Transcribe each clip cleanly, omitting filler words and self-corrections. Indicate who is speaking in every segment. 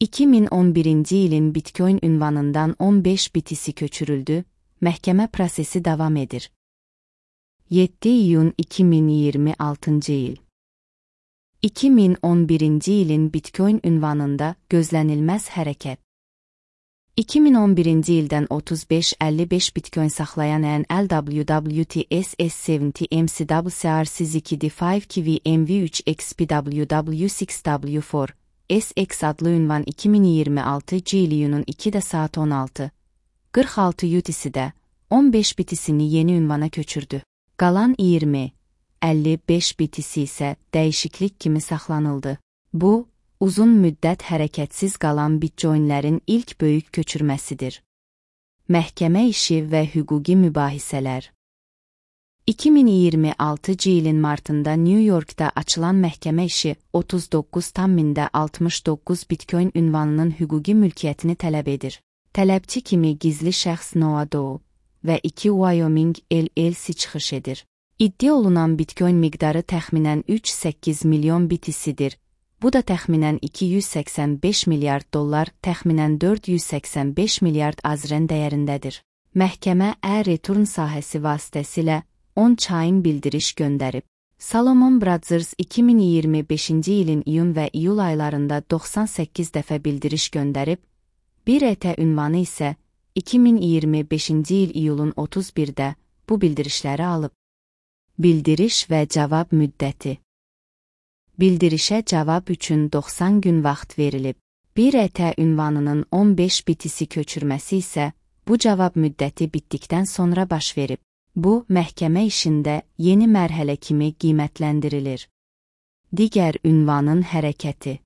Speaker 1: 2011-ci ilin Bitcoin ünvanından 15 BTC köçürüldü, məhkəmə prosesi davam edir. 7 iyun 2026-cı il. 2011-ci ilin Bitcoin ünvanında gözlənilməz hərəkət. 2011-ci ildən 35-55 Bitcoin saxlayan LWWTSS70 MCWCRC2D5 KVMV3 XPWW6W4 SX adlı ünvan 2026 iyunun 2 saat 16:46 UTC-də 15 BTC-ni yeni ünvana köçürdü. Qalan 20-55 BTC isə dəyişiklik kimi saxlanıldı. Bu, uzun müddət hərəkətsiz qalan bitcoinlərin ilk böyük köçürməsidir. Məhkəmə işi və hüquqi mübahisələr. 2026 ilin martında New Yorkda açılan məhkəmə işi 39,69 Bitcoin ünvanının hüquqi mülkiyyətini tələb edir. Tələbçi kimi gizli şəxs Noah Doe və 2 Wyoming LLC çıxış edir. İddia olunan Bitcoin miqdarı təxminən 3,8 milyon BTC-dir. Bu da təxminən 285 milyard dollar, təxminən 485 milyard azren dəyərindədir. Məhkəmə e-return sahəsi vasitəsilə on-chain bildiriş göndərib. Salomon Brothers 2025-ci ilin iyun və iyul aylarında 98 dəfə bildiriş göndərib, bir ET ünvanı isə 2025-ci il iyulun 31-də bu bildirişləri alıb. Bildiriş və cavab müddəti. Bildirişə cavab üçün 90 gün vaxt verilib. Bir ET ünvanının 15 BTC köçürməsi isə bu cavab müddəti bitdikdən sonra baş verib. Bu, məhkəmə işində yeni mərhələ kimi qiymətləndirilir. Digər ünvanın hərəkəti.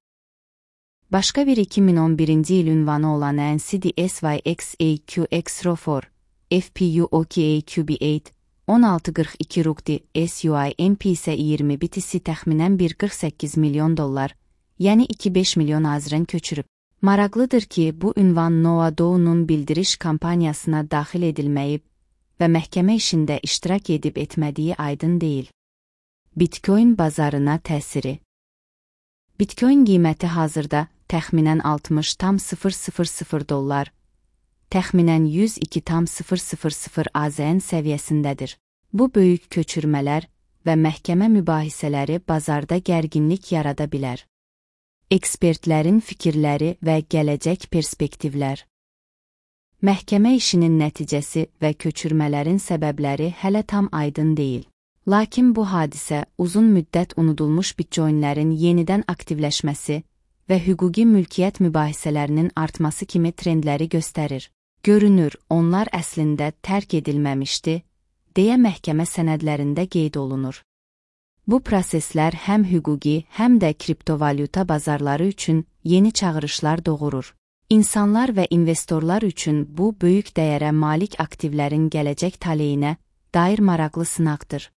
Speaker 1: Başqa bir 2011-ci il ünvanı olan NCDSYXAQX-RO4, FPUOKAQB8, 1642 RUGDI SUIMP isə 20 BTC təxminən 1,48 milyon dollar, yəni 2,5 milyon azren köçürüb. Maraqlıdır ki, bu ünvan Noah Doe'nun bildiriş kampaniyasına daxil edilməyib və məhkəmə işində iştirak edib etmədiyi aydın deyil. Bitcoin bazarına təsiri. Bitcoin qiyməti hazırda təxminən 60,000 dollar, təxminən 102,000 AZN səviyyəsindədir. Bu böyük köçürmələr və məhkəmə mübahisələri bazarda gərginlik yarada bilər. Ekspertlərin fikirləri və gələcək perspektivlər. Məhkəmə işinin nəticəsi və köçürmələrin səbəbləri hələ tam aydın deyil. Lakin bu hadisə uzun müddət unudulmuş bitcoinlərin yenidən aktivləşməsi və hüquqi mülkiyyət mübahisələrinin artması kimi trendləri göstərir. Görünür, onlar əslində tərk edilməmişdi, deyə məhkəmə sənədlərində qeyd olunur. Bu proseslər həm hüquqi, həm də kriptovalyuta bazarları üçün yeni çağırışlar doğurur. İnsanlar və investorlar üçün bu böyük dəyərə malik aktivlərin gələcək taleyinə dair maraqlı sınaqdır.